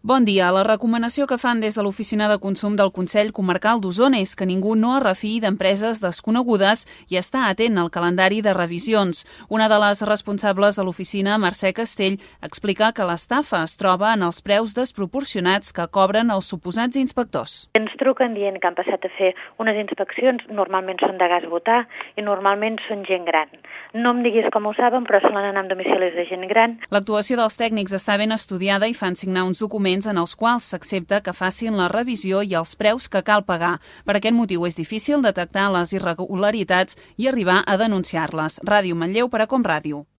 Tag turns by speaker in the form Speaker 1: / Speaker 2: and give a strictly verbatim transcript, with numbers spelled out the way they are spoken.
Speaker 1: Bon dia. La recomanació que fan des de l'Oficina de Consum del Consell Comarcal d'Osona és que ningú no es refiï d'empreses desconegudes i està atent al calendari de revisions. Una de les responsables de l'oficina, Mercè Castell, explica que l'estafa es troba en els preus desproporcionats que cobren els suposats inspectors.
Speaker 2: Ens truquen dient que han passat a fer unes inspeccions, normalment són de gas butà i normalment són gent gran. No em diguis com ho saben, però solen anar amb domicilis de gent gran.
Speaker 1: L'actuació dels tècnics està ben estudiada i fan signar uns documents en els quals s'accepta que facin la revisió i els preus que cal pagar. Per aquest motiu és difícil detectar les irregularitats i arribar a denunciar-les. Ràdio Manlleu per a Com Ràdio.